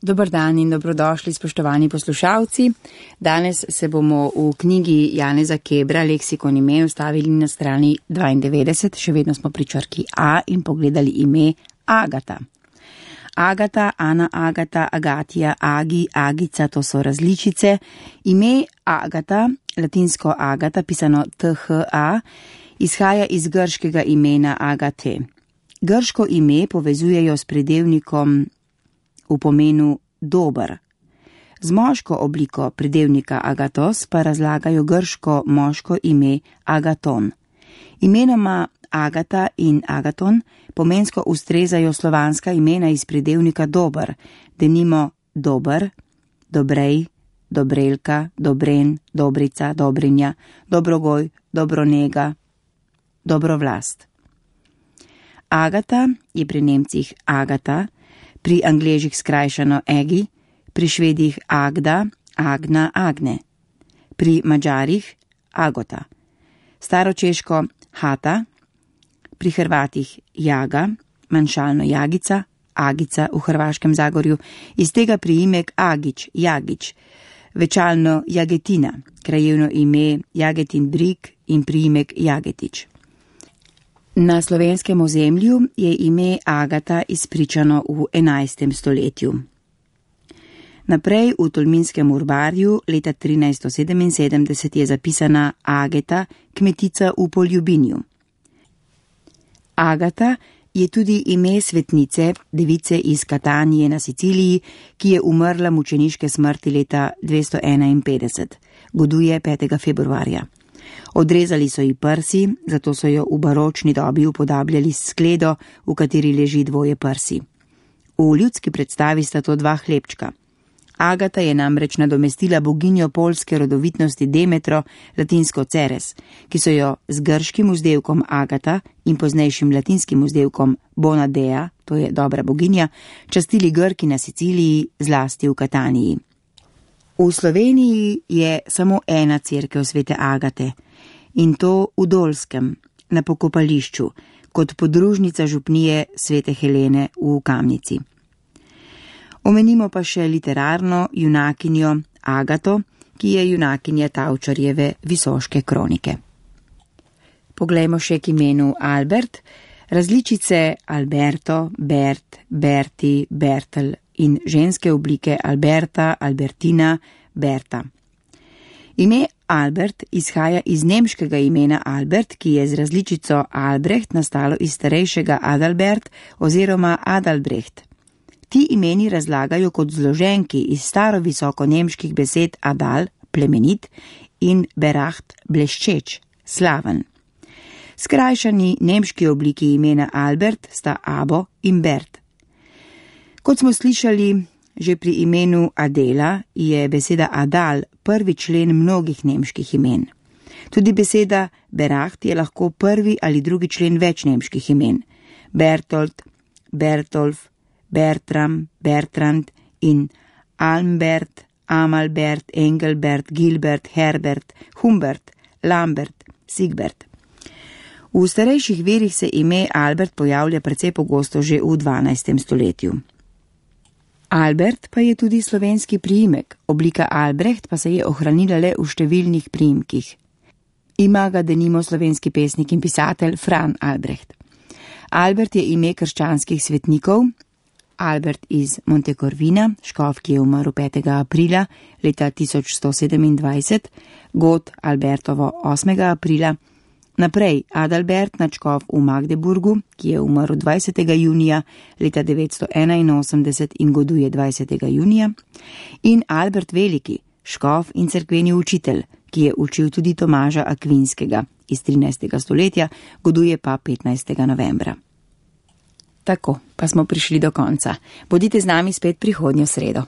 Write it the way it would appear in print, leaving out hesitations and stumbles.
Dober dan in dobrodošli, spoštovani poslušalci. Danes se bomo v knjigi Janeza Kebra Leksikon imen ustavili na strani 92, še vedno smo pri črki A in pogledali ime Agata. Agata, Ana Agata, Agatija, Agi, Agica, to so različice. Ime Agata, latinsko Agata, pisano THA, izhaja iz grškega imena Agate. Grško ime povezujejo s pridevnikom v pomenu dober. Z moško obliko pridevnika agatos pa razlagajo grško moško ime agaton. Imenoma Agata in Agaton pomensko ustrezajo slovanska imena iz pridevnika dober, denimo dober, dobrej, dobrelka, dobren, dobrica, dobrinja, dobrogoj, dobronega, dobrovlast. Agata je pri Nemcih Agata, pri Angležih skrajšano Egi, pri Švedih Agda, Agna, Agne, pri Mađarih Agota, staročeško Hata, pri Hrvatih Jaga, manjšalno Jagica, Agica v Hrvaškem Zagorju, iz tega priimek Agič, Jagič, večalno Jagetina, krajevno ime Jagetin Brig in priimek Jagetič. Na slovenskem ozemlju je ime Agata izpričano v 11. stoletju. Naprej v tolminskem urbarju leta 1377 je zapisana Ageta, kmetica v Poljubinju. Agata je tudi ime svetnice, device iz Katanije na Siciliji, ki je umrla mučeniške smrti leta 251, goduje 5. februarja. Odrezali so ji prsi, zato so jo v baročni dobi upodabljali s skledo, v kateri leži dvoje prsi. V ljudski predstavi sta to dva hlebčka. Agata je namreč nadomestila boginjo poljske rodovitnosti Demetro, latinsko Ceres, ki so jo z grškim vzdevkom Agata in poznejšim latinskim vzdevkom Bonadea, to je dobra boginja, častili Grki na Siciliji, zlasti v Kataniji. V Sloveniji je samo ena cerkev svete Agate, in to v Dolskem, na pokopališču, kot podružnica župnije svete Helene v Kamnici. Omenimo pa še literarno junakinjo Agato, ki je junakinja Tavčarjeve Visoške kronike. Poglejmo še k imenu Albert, različice Alberto, Bert, Berti, Bertel in ženske oblike Alberta, Albertina, Berta. Ime Albert izhaja iz nemškega imena Albert, ki je z različico Albrecht nastalo iz starejšega Adalbert oziroma Adalbrecht. Ti imeni razlagajo kot zloženki iz starovisoko nemških besed Adal, plemenit, in Beracht, bleščeč, slaven. Skrajšani nemški obliki imena Albert sta Abo in Bert. Kot smo slišali, že pri imenu Adela je beseda Adal prvi člen mnogih nemških imen. Tudi beseda Beracht je lahko prvi ali drugi člen več nemških imen. Bertolt, Bertolf, Bertram, Bertrand in Almbert, Amalbert, Engelbert, Gilbert, Herbert, Humbert, Lambert, Sigbert. V starejših verih se ime Albert pojavlja precej pogosto že v 12. stoletju. Albert pa je tudi slovenski priimek, oblika Albrecht pa se je ohranila le v številnih priimkih. Ima ga denimo slovenski pesnik in pisatelj Fran Albrecht. Albert je ime krščanskih svetnikov, Albert iz Montecorvina, škof, ki je umrl 5. aprila leta 1127, god Albertovo 8. aprila, naprej Adalbert, nadškof v Magdeburgu, ki je umrl 20. junija leta 981 in goduje 20. junija, in Albert Veliki, škof in cerkveni učitelj, ki je učil tudi Tomaža Akvinskega iz 13. stoletja, goduje pa 15. novembra. Tako, pa smo prišli do konca. Bodite z nami spet prihodnjo sredo.